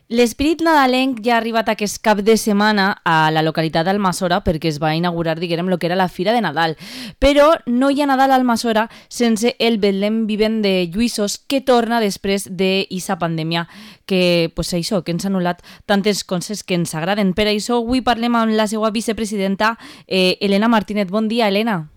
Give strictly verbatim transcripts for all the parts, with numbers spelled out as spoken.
L'esperit nadalenc ja ha arribat aquest cap de setmana a la localitat d'Almassora perquè es va inaugurar, diguem, el que era la Fira de Nadal. Però no hi ha Nadal a Almassora sense el Betlem vivent de Lluïssos, que torna després d'eixa pandèmia que, pues això, que ens ha anul·lat tantes coses que ens agraden. Per això avui parlem amb la seva vicepresidenta, eh, Elena Martínez. Bon dia, Elena.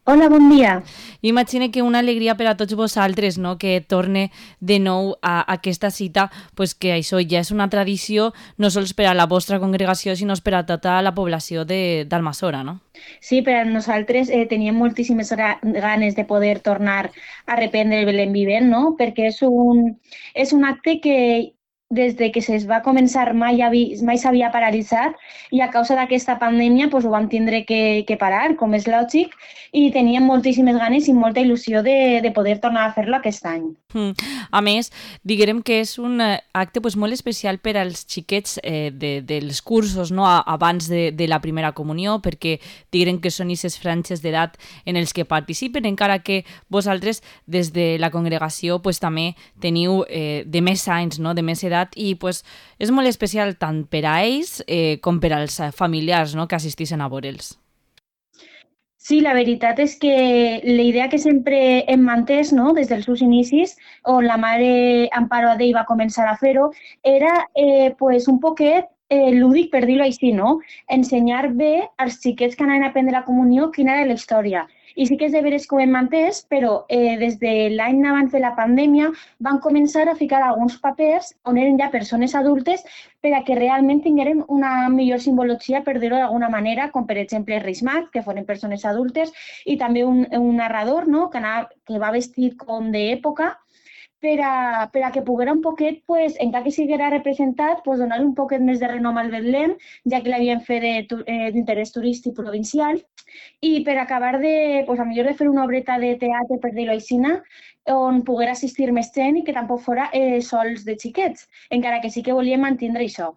Hola, bon dia. Imagine que una alegria per a tots vosaltres, no?, que torne de nou a aquesta cita, pues que això ja és una tradició no sols per a la vostra congregació, sinó per a tota la població de- d'Almassora, no? Sí, per a nosaltres eh, teníem moltíssimes gra- ganes de poder tornar a reprendre el Belén Vivent, no? Perquè és un, és un acte que des de que es va començar mai, havi, mai s'havia paralitzat i a causa d'aquesta pandèmia pues, ho vam tindre que, que parar, com és lògic, i teníem moltíssimes ganes i molta il·lusió de, de poder tornar a fer-lo aquest any. Mm. A més, diguem que és un eh, acte pues, molt especial per als xiquets eh, de, dels cursos, no? A, abans de, de la primera comunió, perquè diguem que són aquestes franges d'edat en els que participen, encara que vosaltres des de la congregació pues, també teniu eh, de més anys, no? De més edat, i pues, és molt especial tant per a ells eh, com per als familiars, no?, que assisteixen a veure'ls. Sí, la veritat és que la idea que sempre hem mantès, no?, des dels seus inicis, on la mare Amparo Adell va començar a fer-ho, era eh, pues, un poquet eh, lúdic, per dir-ho així, no? Ensenyar bé als xiquets que anaven a prendre la comunió quina era la història. I sí que és de veres que ho hem mantès, però eh, des de l'any abans de la pandèmia van començar a ficar alguns papers on eren ja persones adultes per a que realment tingueren una millor simbologia, per dir-ho d'alguna manera, com per exemple Reis Mag, que foren persones adultes, i també un, un narrador, no?, que, anava, que va vestit com d'època, per a, per a que poguera un poquet, pues, encara que siguera representat, pues, donar un poquet més de renom al Betlem, ja que l'havien fet d'interès turístic provincial, i per acabar de, pues, a millor de fer una obreta de teatre, per dir-ho així, on poguera assistir més gent i que tampoc fora eh, sols de xiquets, encara que sí que volíem mantindre això.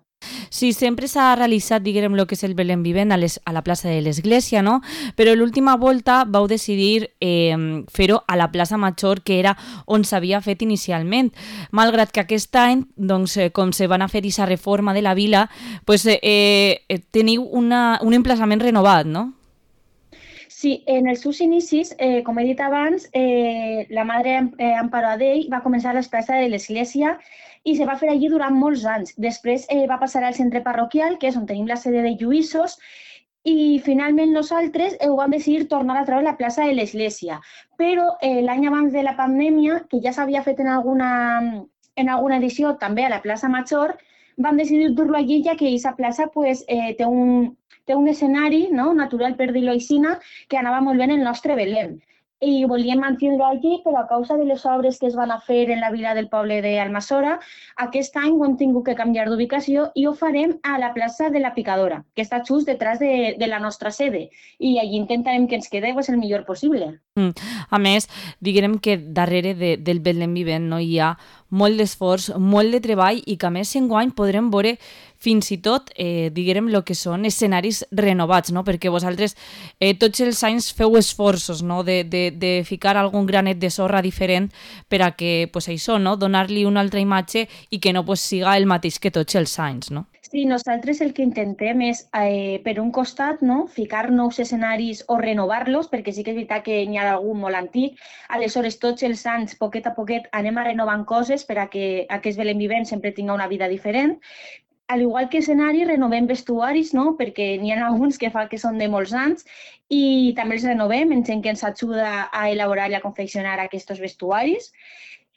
Sí, sempre s'ha realitzat, diguem, el que és el Belén Vivent a, les, a la plaça de l'Església, no? Però l'última volta vau decidir eh, fer-ho a la plaça Major, que era on s'havia fet inicialment. Malgrat que aquest any, doncs, eh, com se van a fer aquesta reforma de la vila, pues, eh, eh, teniu una, un emplaçament renovat, no? Sí, en els seus inicis, eh, com he dit abans, eh, la mare eh, Amparo Adell va començar a l'esplaça de l'Església i se va fer allí durant molts anys. Després eh, va passar al centre parroquial, que és on tenim la sede de Lluïssos, i finalment nosaltres eh, ho vam decidir tornar a treure a la plaça de l'Església. Però eh, l'any abans de la pandèmia, que ja s'havia fet en alguna, en alguna edició també a la plaça Major, vam decidir dur-lo allí, ja que aquesta plaça pues, eh, té un té un escenari, no?, natural, per dir-ho així, que anava molt bé en el nostre Belém. I volíem mantenir-ho allí, però a causa de les obres que es van a fer en la vila del poble d'Almassora, aquest any ho hem tingut que canviar d'ubicació i ho farem a la plaça de la Picadora, que està just detrás de, de la nostra sede. I allí intentarem que ens quede pues, el millor possible. Mm. A més, diguem que darrere de, del Betlem Vivent no hi ha molt d'esforç, molt de treball i que a més enguany podrem veure fins i tot, eh, diguem, el que són escenaris renovats, no? Perquè vosaltres eh, tots els anys feu esforços, no?, de, de, de ficar algun granet de sorra diferent per a que, pues això, no?, donar-li una altra imatge i que no pues, siga el mateix que tots els anys, no? Sí, nosaltres el que intentem és, eh, per un costat, no?, ficar nous escenaris o renovar-los, perquè sí que és veritat que n'hi ha algun molt antic. Aleshores, tots els anys, poquet a poquet, anem a renovant coses per a que aquest Belén Vivent sempre tinga una vida diferent. Al igual que escenaris, renovem vestuaris, no?, perquè n'hi ha alguns que fa que són de molts anys i també els renovem en gent que ens ajuda a elaborar i a confeccionar aquests vestuaris.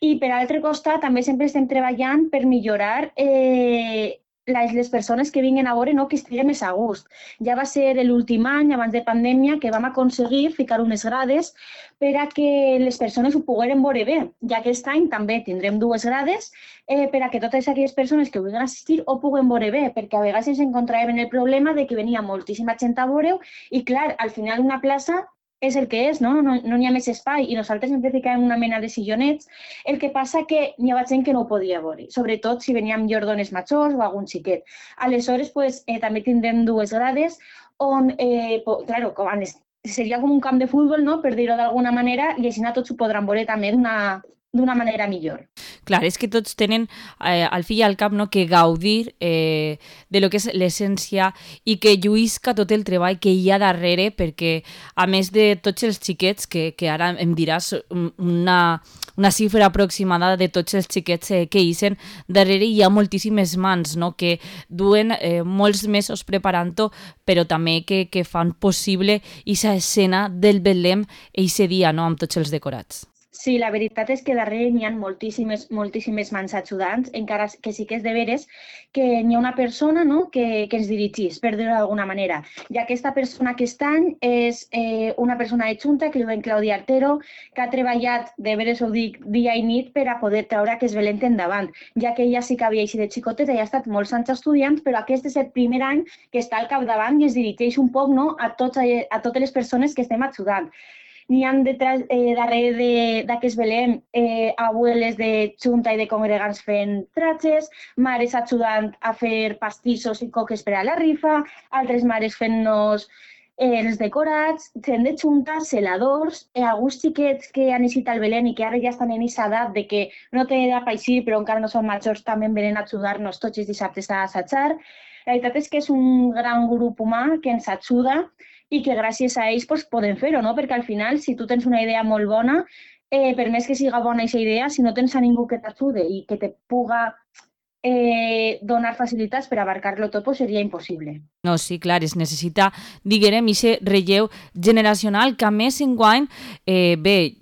I per altre costat, també sempre estem treballant per millorar eh, les, les persones que vinguin a veure, no?, que estiguen més a gust. Ja va ser l'últim any, abans de pandèmia, que vam aconseguir ficar unes grades per a que les persones ho pogueren veure bé. Ja aquest any també tindrem dues grades eh, per a que totes aquelles persones que vulguin assistir ho puguen veure bé, perquè a vegades ens encontràvem el problema de que venia moltíssima gent a veure-ho i, clar, al final una plaça és el que és, no? No n'hi ha més espai i nosaltres sempre ficàvem una mena de sillonets, el que passa que n'hi havia gent que no ho podia veure, sobretot si veníem llordones majors o algun xiquet. Aleshores, pues, eh, també tindrem dues grades on, eh, po, claro, seria com un camp de futbol, no?, per dir-ho d'alguna manera, i així tots ho podran veure també d'una d'una manera millor. Clar, és que tots tenen eh, al fi i al cap, no, que gaudir eh, de lo que és l'essència i que lluïsca tot el treball que hi ha darrere, perquè a més de tots els xiquets, que, que ara em diràs una, una xifra aproximada de tots els xiquets eh, que ixen, darrere hi ha moltíssimes mans, no, que duen eh, molts mesos preparant-ho, però també que, que fan possible aquesta escena del Betlem eixe dia, no, amb tots els decorats. Sí, la veritat és que darrere n'hi ha moltíssimes, moltíssimes mans ajudants, encara que sí que és de veres que n'hi ha una persona, no, que, que ens dirigís, per dir-ho d'alguna manera. I aquesta persona aquest any és eh, una persona de Junta, que diuen Claudia Artero, que ha treballat, de veres ho dic, dia i nit per a poder treure aquest Belén endavant, ja que ella sí que havia eixit de xicoteta i ha estat molts anys estudiant, però aquest és el primer any que està al capdavant i es dirigeix un poc, no, a, tots, a totes les persones que estem ajudant. N'hi ha detrás, eh, darrere d'aquest Belém eh, abueles de Junta i de congregants fent tratges, mares ajudant a fer pastissos i coques per a la rifa, altres mares fent-nos eh, els decorats, gent de Junta, celadors, eh, alguns xiquets que han eixit al Belén i que ara ja estan en aquesta edat de que no tenen edat per eixir però encara no són majors, també venen a ajudar-nos tots els dissabtes a assajar. La veritat és que és un gran grup humà que ens ajuda i que gràcies a ells pues, podem fer-ho, no? Perquè al final, si tu tens una idea molt bona, eh, per més que siga bona aquesta idea, si no tens a ningú que t'ajude i que te puga eh, donar facilitats per abarcar-lo tot, pues seria impossible. No, sí, clar, es necessita, diguem, aquest relleu generacional que a més enguany, eh, bé,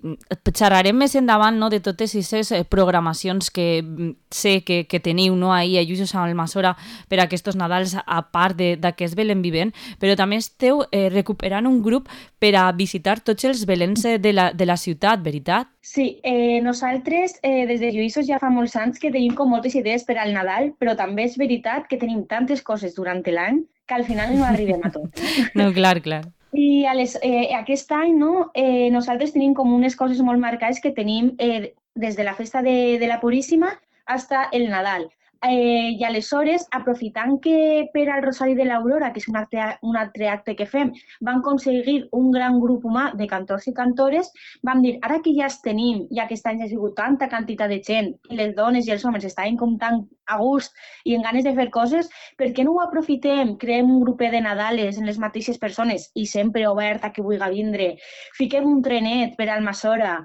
xerrarem més endavant, no, de totes aquestes programacions que sé que, que teniu, no, ahir a Lluïsos amb el Masora per a aquests Nadals a part d'aquest Belén vivent, però també esteu eh, recuperant un grup per a visitar tots els Beléns de la, de la ciutat, veritat? Sí, eh, nosaltres eh, des de Lluïsos ja fa molts anys que tenim com moltes idees per al Nadal, però també és veritat que tenim tantes coses durant l'any que al final no arribem a tot. No, clar, clar. I a les, eh, aquest any no, eh, nosaltres tenim com unes coses molt marcades que tenim eh, des de la festa de, de la Puríssima fins el Nadal. Eh, I aleshores, aprofitant que per al Rosari de l'Aurora, que és un, acte, un altre acte que fem, van aconseguir un gran grup humà de cantors i cantores, vam dir, ara que ja els tenim, ja que aquest any ha sigut tanta quantitat de gent, i les dones i els homes estaven com tan a gust i en ganes de fer coses, per què no ho aprofitem? Creem un grupet de Nadales en les mateixes persones i sempre obert a qui vulgui vindre. Fiquem un trenet per al Masora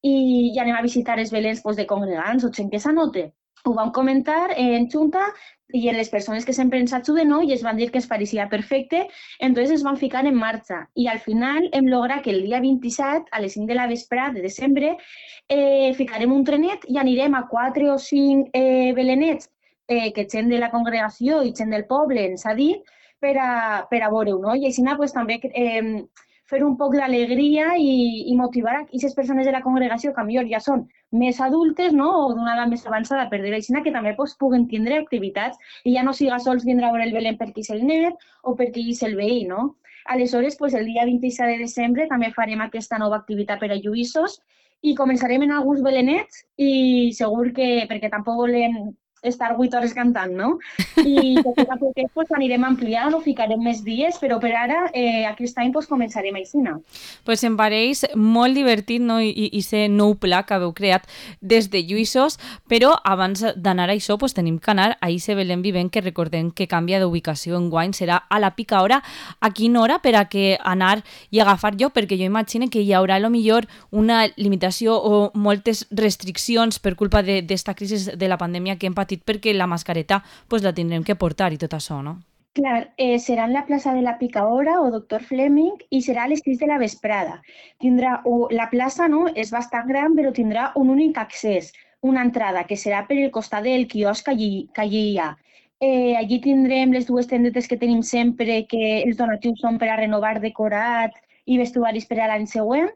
i, i anem a visitar els Beléns pues, de congregants o gent que s'anote. Ho vam comentar en Junta i en les persones que sempre ens ajuden, no? I es van dir que es pareixia perfecte, entonces es van ficar en marxa. I al final hem lograt que el dia vint-i-set, a les cinc de la vesprada de desembre, eh, ficarem un trenet i anirem a quatre o cinc eh, belenets eh, que gent de la congregació i gent del poble ens ha dit per a, per a veure-ho, no? I així pues, també eh, fer un poc d'alegria i, i motivar a aquestes persones de la congregació que millor ja són més adultes, no? O d'una edat més avançada, per dir-ho així, que també pues, puguen tindre activitats i ja no siga sols vindre a veure el Belén perquè és el net o perquè és el veí, no? Aleshores, pues, el dia vint-i-set de desembre també farem aquesta nova activitat per a Lluïsos i començarem en alguns belenets i segur que, perquè tampoc volem estar vuit hores cantant, no? I poquet a poquet pues, anirem ampliant o ficarem més dies, però per ara eh, aquest any pues, començarem així. Pues em pareix molt divertit, no? I, i ser nou pla que haveu creat des de Lluïsos, però abans d'anar a això pues, tenim que anar a Ixe Belén Vivent, que recordem que canvia d'ubicació en guany, serà a la pica hora. A quina hora per a que anar i agafar jo? Perquè jo imagino que hi haurà a lo millor una limitació o moltes restriccions per culpa d'esta crisi de la pandèmia que hem patit perquè la mascareta pues, la tindrem que portar i tot això, no? Clar, eh, serà en la plaça de la Pica Hora o Doctor Fleming i serà a les sis de la vesprada. Tindrà, o, la plaça no, és bastant gran, però tindrà un únic accés, una entrada, que serà per el costat del quiosc que allí, que allí hi ha. Eh, allí tindrem les dues tendetes que tenim sempre, que els donatius són per a renovar decorat i vestuaris per a l'any següent.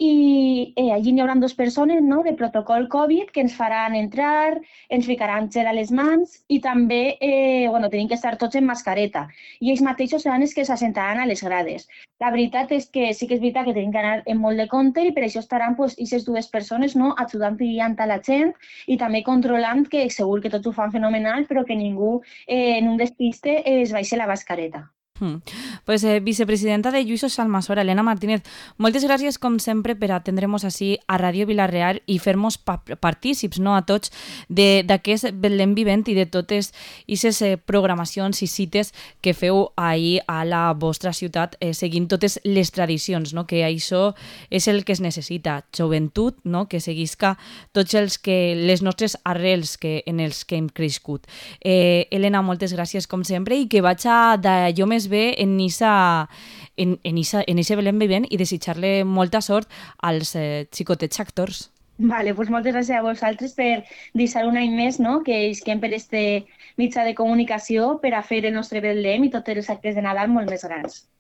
I eh, allí hi haurà dues persones, no?, de protocol Covid que ens faran entrar, ens ficaran gel a les mans i també eh, bueno, tenim que estar tots en mascareta. I ells mateixos seran els que s'assentaran a les grades. La veritat és que sí que és veritat que tenim que anar en molt de compte i per això estaran pues, aquestes dues persones, no?, ajudant i guiant a la gent i també controlant que segur que tots ho fan fenomenal però que ningú eh, en un despiste eh, es baixi la mascareta. Mm. Pues, eh, vicepresidenta de Lluïsos Almassora, Elena Martínez, moltes gràcies, com sempre, per atendre'ns així a Ràdio Vila-real i fer-nos pa partícips, no, a tots d'aquest Betlem vivent i de totes aquestes eh, programacions i cites que feu ahir a la vostra ciutat, eh, seguint totes les tradicions, no? Que això és el que es necessita, joventut, no? Que seguisca tots els que, les nostres arrels que, en els que hem crescut. Eh, Elena, moltes gràcies, com sempre, i que vaig a d'allò més bé en Isa, en, en, Isa, en ese Belén vivent i desitjar-le molta sort als eh, xicotets actors. Vale, pues moltes gràcies a vosaltres per deixar un any més, no?, que isquem per este mitjà de comunicació per a fer el nostre Betlem i tots els actes de Nadal molt més grans.